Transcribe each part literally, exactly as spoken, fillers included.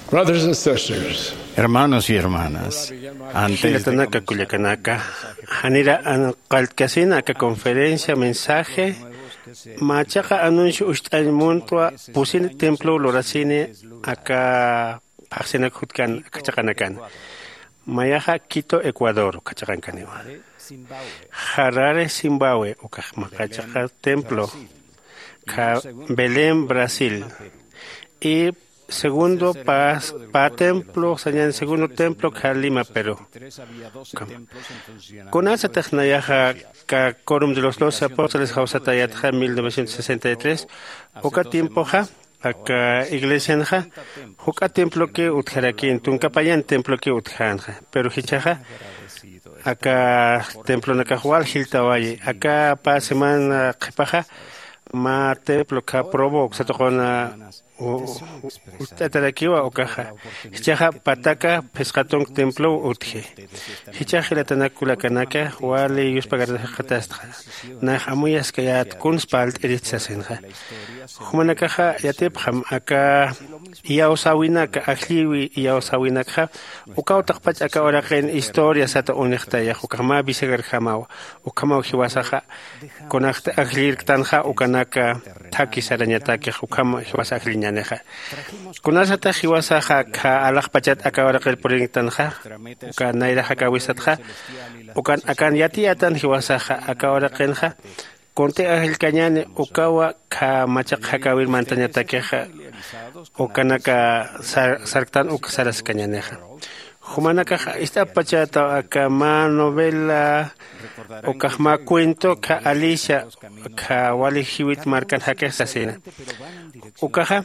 Brothers and sisters, hermanos y hermanas, antes de jilatanaka kullakanaka, janira anqalltkasina aka conferencia mensaje machaqa anuncio ucht'añ muntwa pusin templo lurasini aka phaxsinak jutkan aka chaqanakan. Mayaxa Quito, Ecuador kachaqankaniwa. Harare, Zimbabue ukax maqachaqa templo, kha Belén, Brasil, y segundo pa, pa templo sañan segundo templo kha Lima, Perú. Kunasatix nayaxa ka Quórum de los Doce Apóstoles jawsatayatxa mil novecientos sesenta y tres, uka tiempoxa aka iglesianxa juk'a temploki utjarakïn, tunka payan temploki utjänxa, pero jichhaxa aka templonakax wal jiltawayi. Aka pä semana qhipaxa mä templo kha Provo uksa tuquna u- u- utt'atarakiwa ukaxa. Jichhaxa pataka phisqa tunk templow utji. Jichhax jilatanak kullakanaka, wali yuspagart'axatastxa, nax amuyaskayät kuns parlt'irist sasinxa. Jumanakaxa yatipxam aka iyawsäwinaka, ajllïwi iyawsäwinakxa, ukaw taqpach aka uraqin historia sata unixtayax, ukax mä bisagarjamaw. Ukhamaw jiwasaxa kunakti ajllirktanxa ukanaka thaki sarañatakix, ukham jiwasa ajlliñänixa. Kunasatix jiwasaxa kha alaxpachat aka uraqir purinktanxa, uka nayra jakäwisatxa, ukan akan yatiyätan jiwasaxa aka uraqinxa, kunti ajllkañäni ukawa kha machaq jakäwir mantañatakixa, ukanaka sar- sarktan uk saraskañänixa. Jumanakax ist'apachätaw aka mä novela, ukax mä cuento kha Alicia, kha wali jiwit markan jakix sasina. Ukaxa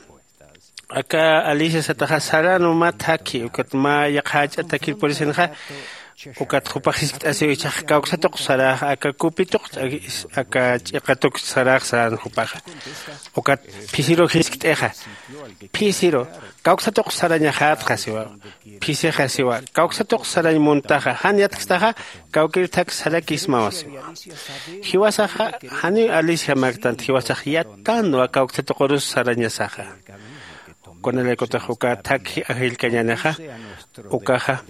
aka Alicia sataxa saran mä thakhi, ukat mä yaqha jach'a thakhir purisinxa, ukat jupax jiskt'asiw, jichhax kawksatuq sarax, aka kupituq aka ch'iqatuq sarax saran jupaxa. Ukat phisiru jiskt'ixa, phisiru, kawksatuq sarañaxätxa siwa. Phisixa siwa, kawksatuq sarañ muntaxa, jan yatkstaxa kawkir thak sarakismawa siwa. Jiwasaxa janiw Alicia mäktant, jiwasax yattanwa kawksatuqurus sarañasaxa. Kunalaykutix uka thakhi ajllkañänixa, ukaxa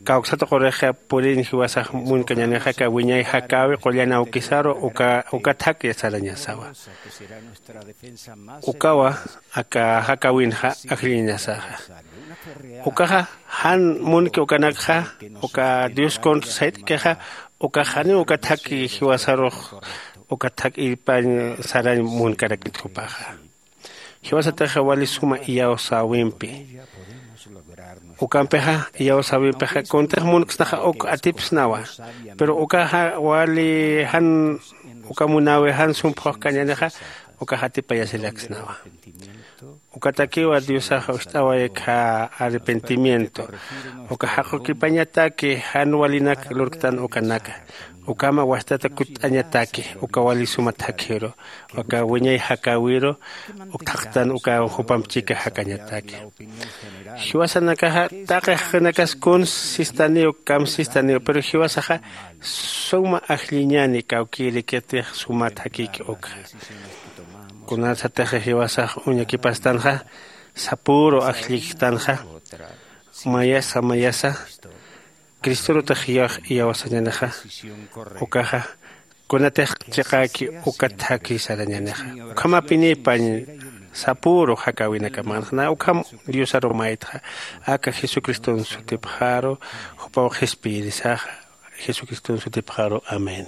kawksatuqurixa puriñ jiwasax munkañänixa, aka wiñay jakäwi qullan awkisaru uka uka thak sarañasawa. Ukawa aka jakäwinxa ajlliñasaxa. Ukaxa jan munki ukanakxa, uka Dios contra sayt'kixa, ukax janiw uka thak jiwasarux uka thak irpañ sarañ munkarakit jupaxa. Jiwasatix wali suma iyawsäwimpi. Ukampixa iyawsäwimpixa kuntix munksnaxa uk atipsnawa. Pero ukaxa wali jan uka munäwi jan sumphuxkañänixa, ukax atipayasiraksnawa. Ukatakiwa Diosax ucht'away kha arrepentimiento. Uka jaqukipañataki jan walinak lurktan ukanaka. Ukhama wastata kutt'añataki uka wali suma thakhiru, uka wiñay jakäwiru, uk thaqtan uka jupamp chika jakañataki. Jiwasanakaxa taqi jaqinakas kuns sistaniw, kam sistaniw, pero jiwasaxa suma ajlliñäni kawkïrikitix suma thakïki ukxa. Kunasatix jiwasax uñakipastanxa, sapüru ajlliktanxa, mayasa mayasa Cristorutix iyawsañänixa, ukaxa kunatix chiqäki uka thakhi sarañänixa. Ukhamapinipañ sapüru jakäwinakamanxa, na ukham Diosaru maytxa, aka Jesucriston sutipxaru, jupaw qhispiyirisaxa, Jesucriston sutipxaru. Amén.